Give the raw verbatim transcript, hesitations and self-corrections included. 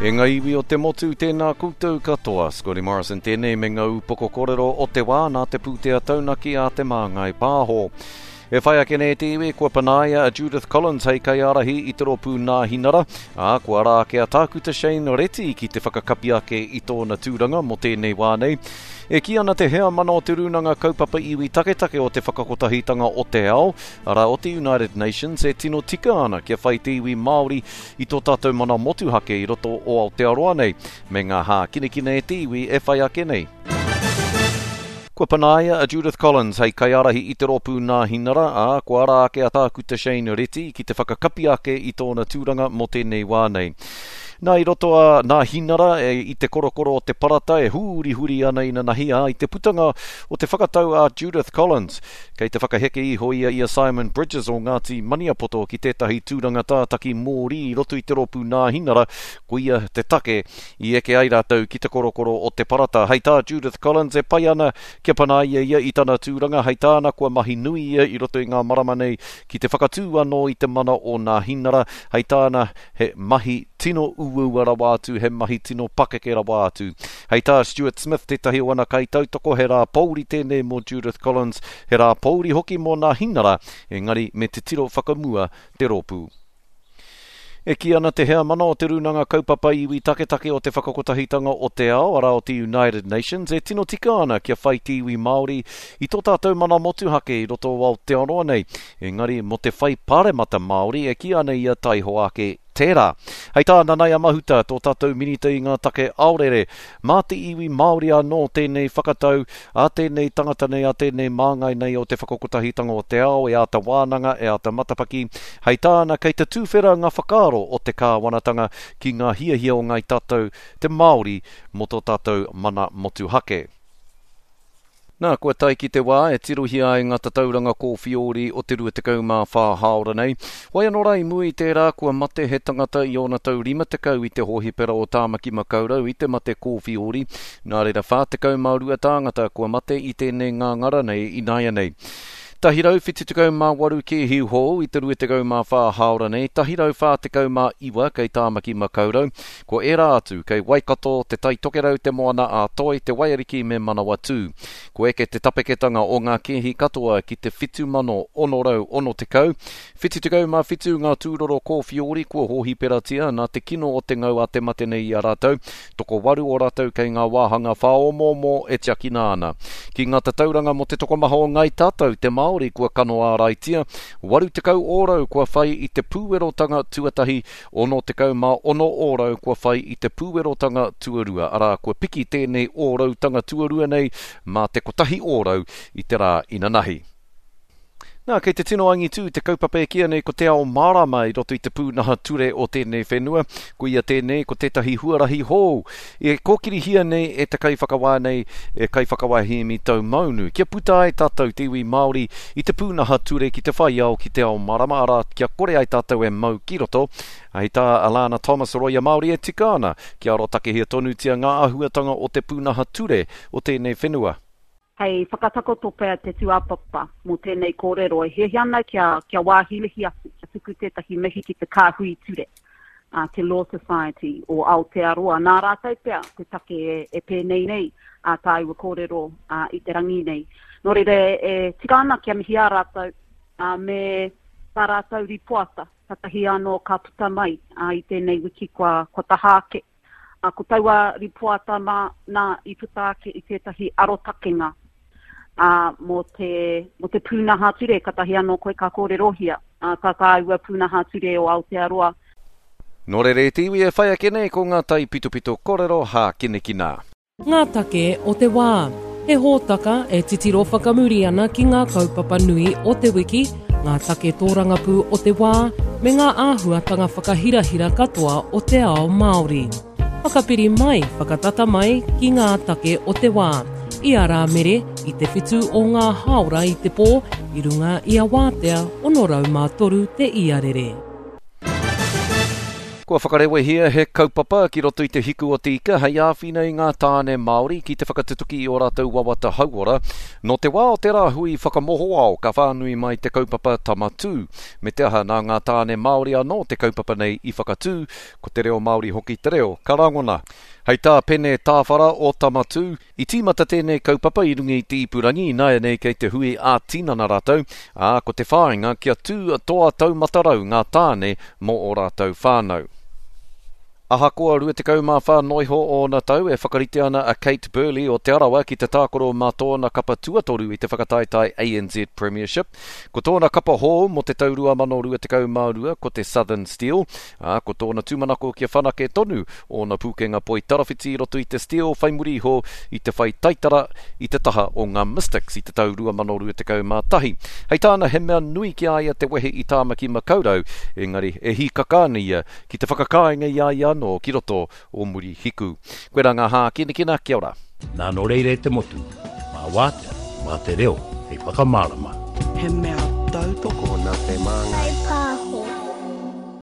E ngā iwi o te motu, tēnā koutou katoa. Scotty Morrison tēnei me ngā upoko kōrero o te wā nā te pūtea taunaki a Te Māngai Pāho. E whai ake nei te iwi, kua panaia a Judith Collins hei kaiārahi i te rōpū Nāhinara, ā, kua ara ake a Tākuta Shane Reti ki te whakakapi ake i tōna tūranga mō tēnei wā nei. E kī ana te heamana o te Rūnanga Kaupapa Iwi Taketake o te Whakakotahitanga o te Ao, arā o te United Nations, e tino tika ana kia whai te iwi Māori i tō tātou mana motuhake i roto o Aotearoa nei, me ngā hākinakina e te iwi e whai ake nei. Kua panaia a Judith Collins hei kaiārahi i te rōpū Nāhinara, ā, kua ara ake a Tākuta Shane Reti ki te whakakapi ake i tōna tūranga mō tēnei wā nei. Nā, i roto a Nāhinara e, i te korokoro o te parata e hurihuri ana inanahi, ā, i te putanga o te whakatau a Judith Collins, kei te whakaheke iho ia i a Simon Bridges o Ngāti Maniapoto ki tētahi tūranga tātaki mōrī i roto i te rōpū Nāhinara, koia te take i eke ai rātou ki te korokoro o te parata. Hei tā Judith Collins e pai ana kia panaia ia i tana tūranga, hei tāna kua mahi nui ia i roto i ngā marama nei ki te whakatū anō i te mana o Nāhinara, hei tāna he mahi tino uaua rawa atu, he mahi tino pakeke rawa atu. Hei tā Stuart Smith, tētahi o ana kaitautoko, he rā pōuri tēnei mō Judith Collins, he rā pōuri hoki mō Nāhinara, engari me te tiro whakamua te rōpū. E kī ana te heamana o te Rūnanga Kaupapa Iwi Taketake o te Whakakotahitanga o te Ao, arā o te United Nations, e tino tika ana kia whai te iwi Māori i tō tātou mana motuhake i roto o Aotearoa nei. Engari mō te whai paremata Māori e kī ana ia taihoa ake tērā. Hei tā Nanaia Mahuta, tō tātou minita i ngā take aorere, mā te iwi Māori anō tēnei whakatau a tēnei tangata nei, a tēnei māngai nei o te Whakakotahitanga o te Ao e āta wānanga, e āta matapaki. Hei tāna, kei te tūwhera ngā whakaaro o te kāwanatanga ki ngā hiahia o ngāi tātou te Māori mō tō tātou mana motuhake. Nā, kua tae ki te wā e tirohia ai ngā tatauranga kōwhiori o te rua tekau mā whā hāora nei. Wai anō rā i mua i tērā kua mate he tangata i ōna tau rima tekau i te hōhipera o Tāmaki Makaurau i te mate kōwhiori. Nā reira whā tekau mā rua tāngata kua mate i tēnei ngāngara nei ināianei. Tahi rau whitu tekau mā waru kēhi hou i te rua tekau mā whā hāora nei, tahi rau whā tekau mā iwa kei Tāmaki Makaurau, ko ērā atu kei Waikato, Te Tai Tokerau, Te Moana a Toi, Te Waiariki me Manawatū. Ko eke te tapeketanga o ngā kēhi katoa ki te whitu mano ono rau ono tekau, whitu tekau mā whitu ngā tūroro kōwhiori kua hōhiperatia nā te kino o te ngau a te mate nei i a rātou, tokowaru o rātou kei ngā wāhanga whāomoomo e tiakina ana. Ki ngā tatauranga mō te tokomaha o ngāi tātou, te Māori kua kano āraitia, waru tekau ōrau kua whai i te pūwerotanga tuatahi, ono tekau mā ono ōrau kua whai i te pūwerotanga tuarua, arā kua piki tēnei ōrautanga tuarua nei mā te kotahi ōrau i te rā inanahi. Nā, kei te tino angitū te kaupapa e kīia nei ko te ao mārama i roto i te pūnaha ture o tēnei whenua. Ko ia tēnei, ko tētahi huarahi hou e kōkirihia nei e te kaiwhakawā nei, e kaiwhakawā Hēmi Taumaunu, kia puta ai tātou te iwi Māori i te pūnaha ture ki te whai ao ki te ao mārama, arā, kia kore ai tātou e mau ki roto. Hei tā Alana Thomas Roia Māori e tika ana kia arotakehia tonutia ngā āhuatanga o te pūnaha ture o tēnei whenua. Hei whakatakoto pea te tūāpapa mō tēnei kōrero e hiahia ana kia, kia wāhilihi atu, kia tuku tētahi mihi ki te kāhui ture, uh, te Law Society o Aotearoa. Nā rātou pea te take e, e pēnei nei a tāua kōrero uh, i te rangi nei. Nō reira e, e tika ana kia mihi a rātou uh, me tā rātou ripoata, katahi anō ka puta mai uh, i tēnei wiki kua, kua taha ake. Uh, ko taua ripoata mā, nā i puta ake i tētahi arotakenga uh, mō te, mō te pūnaha ture, katahi anō koe ka kōrerohia, uh, tā tāua pūnaha ture o Aotearoa. Nō reira e te iwi e whai ake nei ko ngā taipitopito kōrero hākinakina. Ngā take o te wā. He hōtaka e titiro whakamuri ana ki ngā kaupapa nui o te wiki, ngā take tōrangapū o te wā, me ngā āhuatanga whakahirahira katoa o te ao Māori. Whakapiri mai, whakatata mai ki ngā take o te wā. I a Rāmere, i te whitu o ngā hāora i te pō, i runga i a Wātea, ono rau mā toru te iarere. Kua whakarewehia he kaupapa ki roto i te hiku o te ika hei āwhina i ngā tāne Māori ki te whakatutuki i ō rātou wawata hauora. Nō te wā o te rāhui whakamohoao ka whānui mai te kaupapa Tama Tū. Me te aha nā ngā tāne Māori anō te kaupapa nei i whakatū, ko te reo Māori hoki te reo ka rangona. Hei tā Pene Tāwhara o Tama Tū, i tīmata tēnei kaupapa i runga i te ipurangi, ināianei kei te hui ā-tinana rātou, ā, ko te whāinga kia tū toa taumata rau ngā tāne mō ō rātou whānau. Ahakoa rua tekau mā whā noiho ōna tau e whakarite ana a Kate Burley o Te Arawa ki te tākaro mā tōna kapa tuatoru i te whakataetae A N Z Premiership. Ko tōna kapa hou mō te tau rua mano rua tekau mā rua ko te Southern Steel, ā, ko tōna tūmanako kia whanake tonu ōna pūkenga poi tarawhiti i roto i te Steel whai muri iho i te whai taitara i te taha o ngā Mystics i te tau rua mano rua tekau mā tahi. Hei tāna he mea nui ki a ia te wehe i Tāmaki Makaurau, engari e hīkaka ana ia ki te whakakāinga i a ia anō ki roto o Murihiku. Koe rā ngā hākinakina, kia ora. Nā nō reira e te motu, mā wātea, mā te reo, hei whakamārama. He mea tautoko nā te Māngai